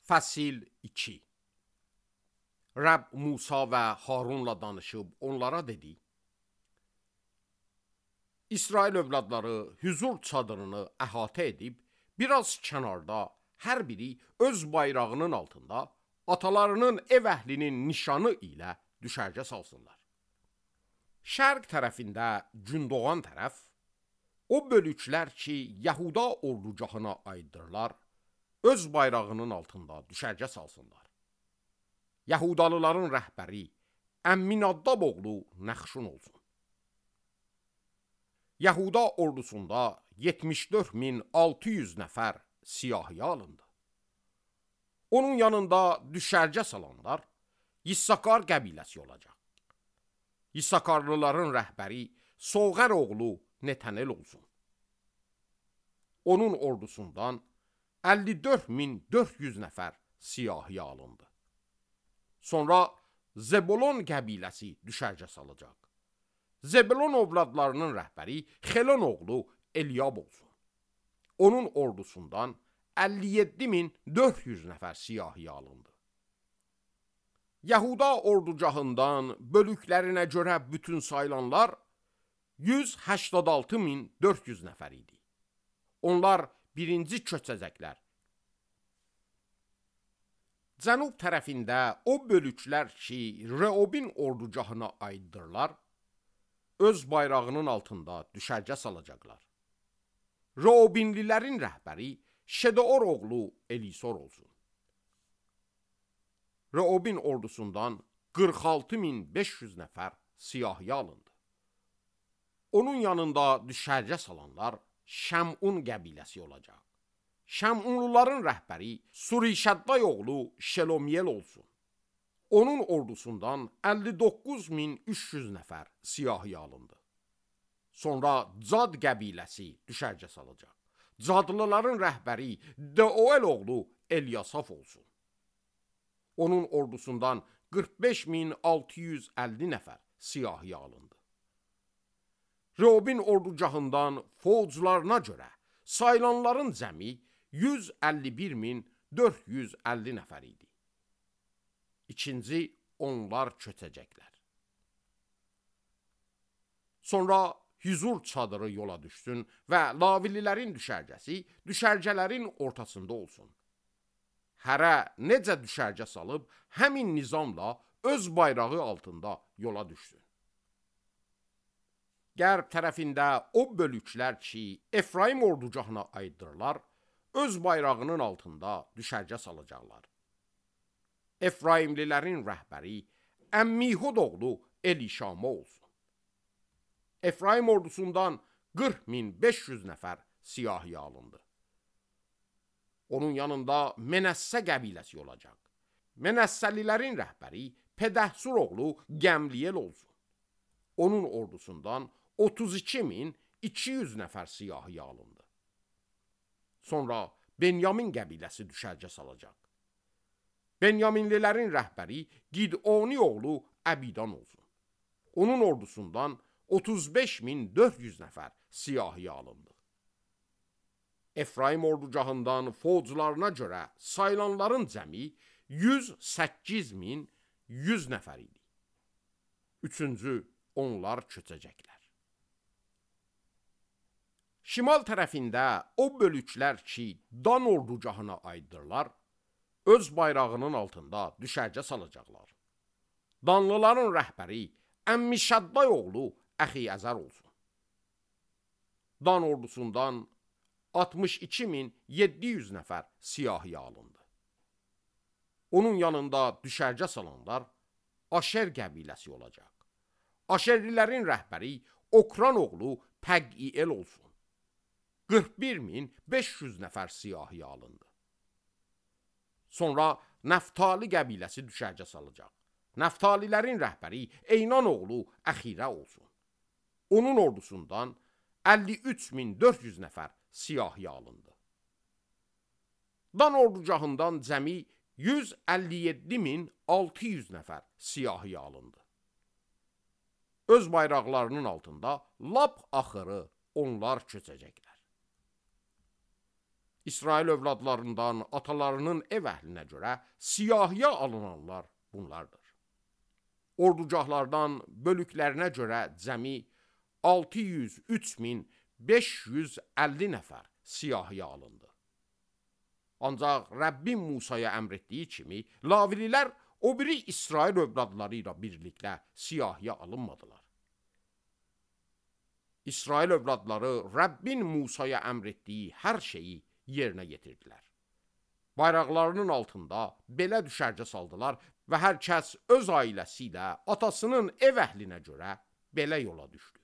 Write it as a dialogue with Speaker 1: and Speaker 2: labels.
Speaker 1: Fəsil 2. Rəbb Musa və Harunla danışıb onlara dedi: İsrail övladları hüzur çadırını əhatə edib, biraz kənarda hər biri öz bayrağının altında atalarının ev əhlinin nişanı ilə düşərgə salsınlar. Şərq tərəfində gün doğan tərəf, o bölüklər ki, Yahuda ordugahına aiddırlar, öz bayrağının altında düşərgə salsınlar. Yahudalıların rəhbəri Əmminadab oğlu Nəxşun olsun. Yahuda ordusunda 74.600 nəfər siyahıya alındı. Onun yanında düşərgə salanlar Yissakar qəbiləsi olacaq. Yissakarlıların rəhbəri Soğər oğlu Netənel olsun. Onun ordusundan 54.400 nəfər siyahıya alındı. Sonra Zebulon qəbiləsi düşərgə salacaq. Zebulon ovladlarının rəhbəri Xelon oğlu Eliyab olsun. Onun ordusundan 57.400 nəfər siyahıya alındı. Yahuda ordugahından bölüklərinə görə bütün sayılanlar 186.400 nəfər idi. Onlar birinci köçəcəklər. Cənub tərəfində o bölüklər ki, Reobin ordugahına aiddırlar, öz bayrağının altında düşərgə salacaqlar. Reobinlilərin rəhbəri Şedeor oğlu Elisor olsun. Reobin ordusundan 46.500 nəfər siyahıya alındı. Onun yanında düşərgə salanlar Şəmun qəbiləsi olacaq. Şəmunluların rəhbəri Surişadday oğlu Şelomiyel olsun. Onun ordusundan 59.300 nəfər siyahıya alındı. Sonra Cad qəbiləsi düşərgə salacaq. Cadlıların rəhbəri Deuel oğlu Elyasaf olsun. Onun ordusundan 45.650 nəfər siyahıya alındı. Reobin ordugahından fouclarına görə sayılanların cəmi 151.450 nəfər idi. İkinci, onlar köçəcəklər. Sonra hüzur çadırı yola düşsün və Lavililərin düşərgəsi düşərgələrin ortasında olsun. Hərə necə düşərgə salıb, həmin nizamla öz bayrağı altında yola düşsün. Qərb tərəfində o bölüklər ki, Efraim ordugahına aiddırlar, öz bayrağının altında düşərgə salacaqlar. Efraimlilərin rəhbəri Əmmihud oğlu Elişama olsun. Efraim ordusundan 40.500 nəfər siyahıya alındı. Onun yanında Menəssə qəbiləsi olacaq. Menəssəlilərin rəhbəri Pedəhsur oğlu Gəmliyel olsun. Onun ordusundan 32.200 nəfər siyahıya alındı. Sonra Benyamin qəbiləsi düşərgə salacaq. Benyaminlilərin rəhbəri Gidoni oğlu Əbidan olsun. Onun ordusundan 35.400 nəfər siyahıya alındı. Efraim ordugahından fouclarına görə sayılanların cəmi 108.100 nəfər idi. Üçüncü, onlar köçəcəklər. Şimal tərəfində o bölüklər ki, Dan ordugahına aiddırlar, öz bayrağının altında düşərgə salacaqlar. Danlıların rəhbəri Əmmişadday oğlu Əxiyəzər olsun. Dan ordusundan 62.700 nəfər siyahıya alındı. Onun yanında düşərgə salanlar Aşer qəbiləsi olacaq. Aşerlilərin rəhbəri Okran oğlu Pəqiyel olsun. 41.500 nəfər siyahıya alındı. Sonra Nəftali qəbiləsi düşərgə salacaq. Nəftalilərin rəhbəri Eynan oğlu Əxirə olsun. Onun ordusundan 53.400 nəfər siyahıya alındı. Dan ordugahından cəmi 157.600 nəfər siyahıya alındı. Öz bayraqlarının altında lap axırı onlar köçəcəklər. İsrail övladlarından atalarının ev əhlinə görə siyahıya alınanlar bunlardır. Ordugahlardan bölüklərinə görə cəmi 603.550 nəfər siyahıya alındı. Ancaq Rəbbin Musaya əmr etdiyi kimi, Lavililər o biri İsrail övladları ilə birlikdə siyahıya alınmadılar. İsrail övladları Rəbbin Musaya əmr etdiyi hər şeyi yerinə yetirdilər. Bayraqlarının altında belə düşərgə saldılar və hər kəs öz ailəsi ilə atasının ev əhlinə görə belə yola düşdü.